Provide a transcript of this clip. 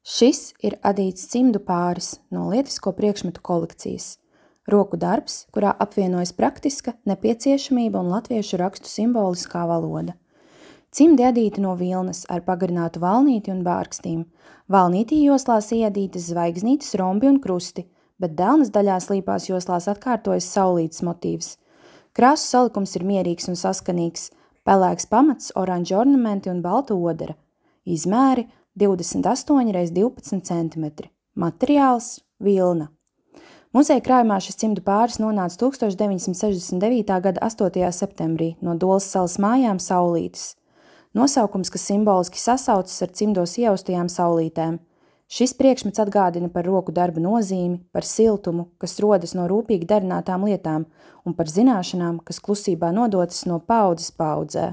Šis ir adīts cimdu pāris no lietisko priekšmetu kolekcijas. Roku darbs, kurā apvienojas praktiska nepieciešamība un latviešu rakstu simboliskā valoda. Cimdi adīti no vilnas ar pagarinātu valnīti un bārkstīm. Valnītī joslās iedītas zvaigznītes, rombi un krusti, bet delnas daļās līpās joslās atkārtojas saulītes motīvs. Krāsu salikums ir mierīgs un saskanīgs, pelēks pamats, oranži ornamenti un balta odara. Izmēri 28 x 12 cm. Materiāls – vilna. Muzeja krājumā šis cimdu pāris nonāca 1969. gada 8. septembrī no Dolas salas mājām Saulītes. Nosaukums, kas simboliski sasaucas ar cimdos ieaustajām saulītēm. Šis priekšmets atgādina par roku darba nozīmi, par siltumu, kas rodas no rūpīgi darinātām lietām, un par zināšanām, kas klusībā nodotas no paaudzes paaudzē.